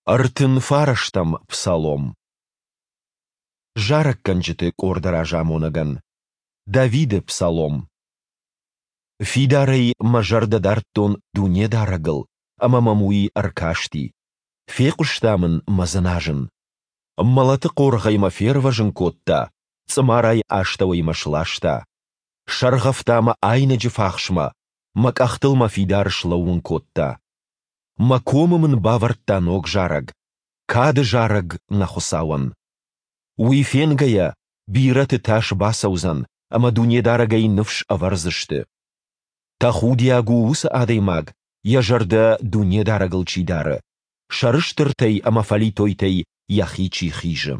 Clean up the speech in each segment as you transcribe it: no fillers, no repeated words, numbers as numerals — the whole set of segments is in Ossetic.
39-ӕм псалом. Зарӕггӕнджыты къорды разамонӕгӕн. Давиды псалом. Фидарӕй мӕ зӕрдӕ дардтон Дунедарӕгыл, ӕмӕ мӕм Уый ӕркасти. Фехъуыста мын мӕ дзыназын. Мӕлӕты хъоргъӕй мӕ фервӕзын кодта, цъымарайы астӕуӕй мӕ сласта. Сӕргъӕвта мӕ айнӕджы фахсмӕ, мӕ къӕхтыл мӕ фидар слӕууын кодта. Мӕ комы мын бавӕрдта ног зарӕг, кады зарӕг нӕ Хуыцауӕн. Уый фенгӕйӕ, бирӕты тас бацӕудзӕн, ӕмӕ Дунедарӕгӕй ныфс ӕвӕрдзысты. Тӕхудиаг у уыцы адӕймаг, йӕ зӕрдӕ Дунедарӕгыл чи дары, сӕрыстыртӕй ӕмӕ фӕлитойтӕй йӕхи чи хизы.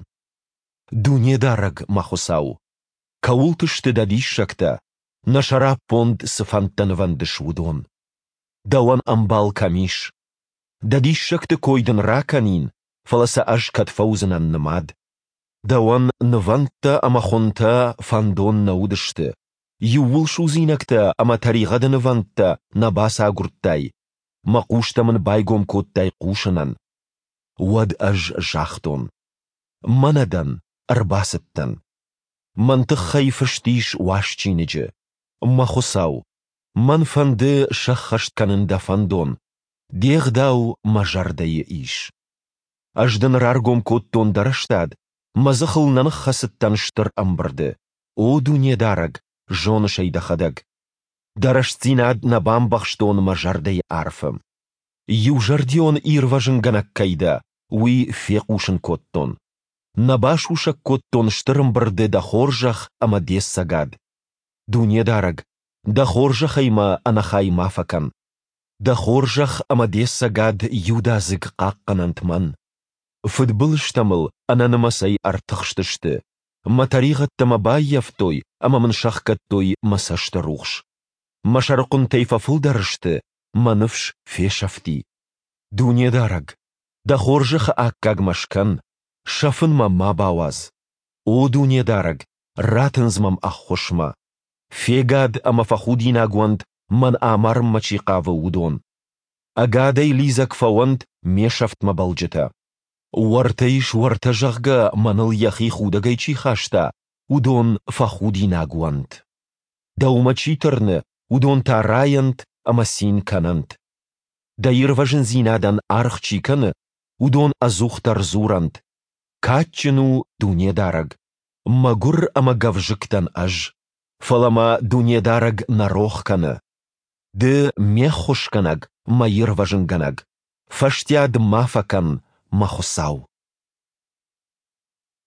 Дунедарӕг, мӕ Хуыцау! Кӕуылты сты дӕ диссӕгтӕ, нӕ сӕраппонд цы фӕндтӕ нывӕндыс, уыдон! Дӕуӕн ӕмбал кӕм ис? Дӕ диссӕгты кой дын ракӕнин, фӕлӕ сӕ ӕз кӕд фӕуыдзынӕн нымад? Дӕуӕн нывӕндтӕ ӕмӕ хуынтӕ фӕндон нӕ уыдысты, иууылсудзинӕгтӕ ӕмӕ тӕригъӕды нывӕндтӕ нӕ бацагуырдтай, мӕ хъустӕ мын байгом кодтай хъусынӕн. Уӕд ӕз загътон: Мӕнӕ дӕн, ӕрбацыдтӕн. Мӕн тыххӕй фыст ис уаз чиныджы. Мӕ Хуыцау, мӕн фӕнды сӕххӕст кӕнын дӕ фӕндон, де гъдау мӕ зӕрдӕйы ис. Ӕз дын раргом кодтон дӕ рӕстад, мӕ дзыхыл нӕ ныххӕцыдтӕн стыр ӕмбырды. О Дунедарӕг, зоныс ӕй дӕхӕдӕг. Дӕ рӕстдзинад нӕ бамбӕхстон мӕ зӕрдӕйы арфы. Иузӕрдион ирвӕзынгӕнӕг кӕй дӕ, уый фехъусын кодтон. Нӕ басусӕг кодтон стыр ӕмбырды дӕ хорзӕх ӕмӕ де цӕгад. Дунедарӕг, дӕ хорзӕхӕй мӕ ӕнӕхай ма фӕкӕн. Дӕ хорзӕх ӕмӕ де цӕгад иудадзыг хъахъхъӕнӕнт мӕн. Фыдбылызтӕ мыл ӕнӕнымӕцӕй ӕртыхстысты, мӕ тӕригъӕдтӕ мӕ баййӕфтой ӕмӕ мын сӕхгӕдтой мӕ цӕсты рухс. Мӕ сӕрыхъуынтӕй фӕфылдӕр сты, мӕ ныфс фесӕфти. Дунедарӕг, дӕ хорзӕхы аккаг мӕ скӕн, сӕфын мӕ ма бауадз. О Дунедарӕг, ратындз мӕм ӕххуысмӕ. Фегад ӕмӕ фӕхудинаг уӕнт, мӕн амарынмӕ чи хъавы, уыдон. Ӕгадӕй лидзӕг фӕуӕнт ме сӕфтмӕ бӕлджытӕ. Уӕртӕ ис, уӕртӕ, зӕгъгӕ, мӕныл йӕхи худӕгӕй чи хаста, уыдон фӕхудинаг уӕнт. Дӕумӕ чи тырны, уыдон та райӕнт ӕмӕ цин кӕнӕнт. Дӕ ирвӕзындзинадӕн аргъ чи кӕны, уыдон ӕдзухдӕр дзурӕнт: Кадджын у Дунедарӕг! Мӕгуыр ӕмӕ гӕвзыкк дӕн ӕз, фӕлӕ мӕ Дунедарӕг нӕ рох кӕны. Ды ме ххуысгӕнӕг, мӕ ирвӕзынгӕнӕг, фӕстиад ма фӕкӕн, мӕ Хуыцау.